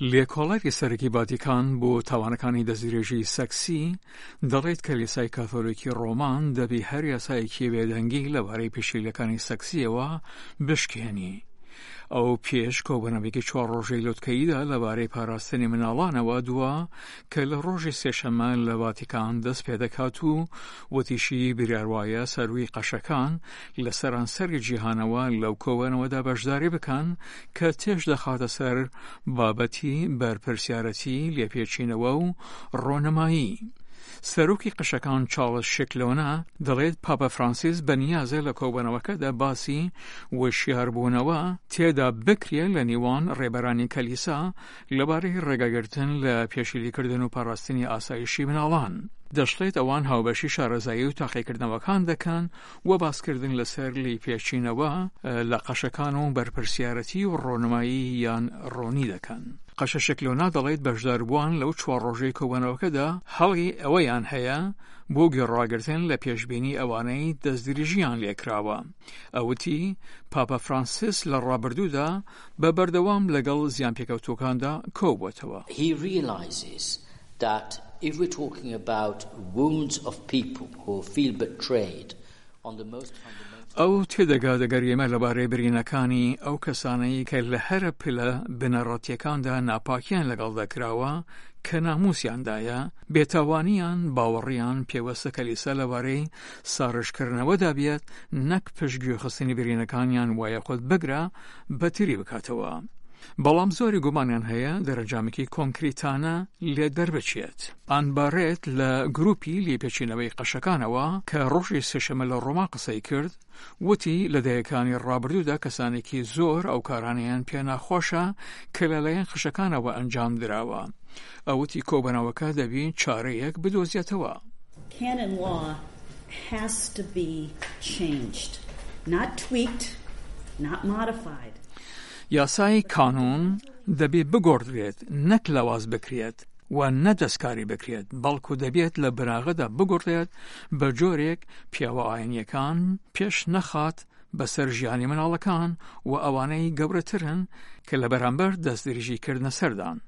لێکۆڵەری سەرەکی ڤاتیکان بۆ تاوانەکانی دەستدرێژی سەکسی دەڵێت کلیسای کاتۆلیکی ڕۆمان دەبی هەر یاسایەکی بێدەنگی لەبارەی پێشێلیەکانی سەکسیەوە بشکێنی. ئەو پێش کۆبوونەوەیەکی چوار ڕۆژەی لوتکەییدا لەبارەی پاراستنی مناڵانەوە دوا کە لە ڕۆژی سێشەممە لە ڤاتیکان دەست پێدەکات و وتیشی بریار وایە سەرووی قەشەکان لە سەرانسەری جیهانەوە لەو کۆبوونەوەدا بەشداری بکەن کە تێش دەخاتە سەر بابەتی بەرپرسیارەتی لێپێچینەوە و ڕۆنمایی. سەرۆکی قەشەکان چاڵس شکلۆنە دەڵێت پاپا فرانسیس بەنیازە لە کۆبوونەوەکەدا باسی وشیاربوونەوە تێدا بکرێت لە نێوان ڕێبەرانی کەلیسا لەبارەی ڕێگەگرتن لە پێشیلیکردن و پاراستنی ئاسایشی مناڵان. دەشڵێت ئەوان هاوبەشی شارەزایی و تاقیکردنەوەکان دەکەن و باسکردن لەسەر لیپێچینەوە لە قەشەکان و بەرپرسیارەتی و ڕۆنمایی یان ڕۆنی دەکەن. قەشە شکلۆنا دەڵێت بەشداربووان لەو چوار ڕۆژەی کۆبوونەوەکەدا هەڵی ئەوەیان هەیە بۆ گوێڕاگرتن لە پێشبینی ئەوانەی دەستدرێژییان لێکراوە. ئەو وتی پاپا فرانسیس لە ڕابردوودا بە بەردەوام لەگەڵ زیانپێکەوتووەکاندا کۆبووەتەوە. He realizes that if we're talking about wounds of people who feel betrayed on the most fundamental. ئەو تێدەگات ئەگەر ئێمە لەبارەی برینەکانی ئەو کەسانەی کە لە هەرە پلە بنەڕەتییەکاندا ناپاکییان لەگەڵدا کراوە کە ناموسیاندایە، بێتاوانییان، باوەڕیان پێوەستە کەلیسا لەبارەی ساڕێژکردنەوەدا بێت نەک پشتگوێخستنی برینەکانیان وایەخود بگرە بەتری بکاتەوە. بەڵام زۆری گومانیان هەیە دەرەنجامێکی کۆنکریتانە لێ دەربچێت. ئان بارێت لە گروپی لێپێچینەوەی قەشەکانەوە کە ڕۆژی سێشەممە لە ڕۆما قسەی کرد، وتی لە دەیەکانی ڕابردوودا کەسانێکی زۆر ئەو کارانەیان پێ ناخۆشە کە لەلایەن قەشەکانەوە ئەنجام دراوە. ئەو وتی کۆبەنەوەکە دەبی چارەیەک بدۆزێتەوە. Canon law has to be changed, not tweaked, not modified. یاسای کانون دەبێ بگۆڕدرێت نەک لاواز بکرێت و نە دەستکاری بکرێت، بەڵکو دەبێت لە بناغەدا بگوڕدرێت بە جۆرێک پیاوە ئاینییەکان پێش نەخات بەسەر ژیانی مناڵەکان و ئەوانەی گەورەترن کە لە بەرامبەر دەستدرێژی کردنە سەردان.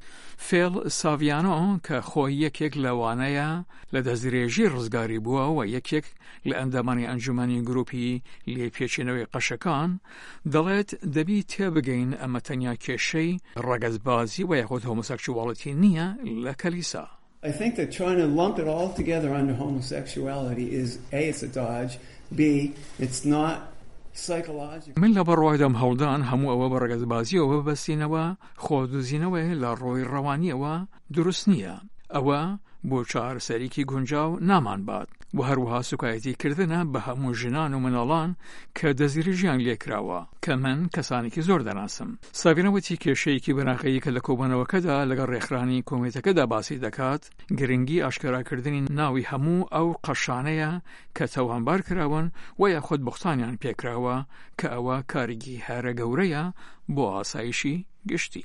فێڵ ساڤیانۆ کە خۆی یەکێک لەوانەیە لە دەستدرێژی ڕزگاری بووە و یەکێک لە ئەندامانی ئەنجومەنی گروپی لێپێچینەوەی قەشەکان دەڵێت دەبی تێبگەین ئەمە تەنیا کێشەی ڕەگەزبازی و یاخود هۆمۆسێکسواڵیتی نییە لە کەلیسا. I think that trying to lump it all together under homosexuality is A, it's a dodge, B, it's not psychologically. من لە بڕوایدام هەوڵدان هەموو ئەوە بە ڕەگەزبازیەوە ببەستینەوە خۆدزینەوەیە لە ڕووی ڕەوانیەوە دروست نییە، ئەوە بۆ چارەسەریکی گونجاو نامانبات و هەروەها سوکایەتی کردنە بە هەموو ژنان و مناڵان کە دەستدرێژیان لێکراوە کە من کەسانێکی زۆر دەناسم. ساڤینا وتی کێشەیەکی بناغەیی کە لە کۆبوونەوەکەدا لەگەڵ ڕێکخرانی کۆمیتەکەدا باسی دەکات، گرنگی ئاشکراکردنی ناوی هەموو ئەو قەشانەیە کە تاوانبار کراون و یاخود بوختانیان پێکراوە کە ئەوە کارێکی هەرە گەورەیە بۆ ئاسایشی گشتی.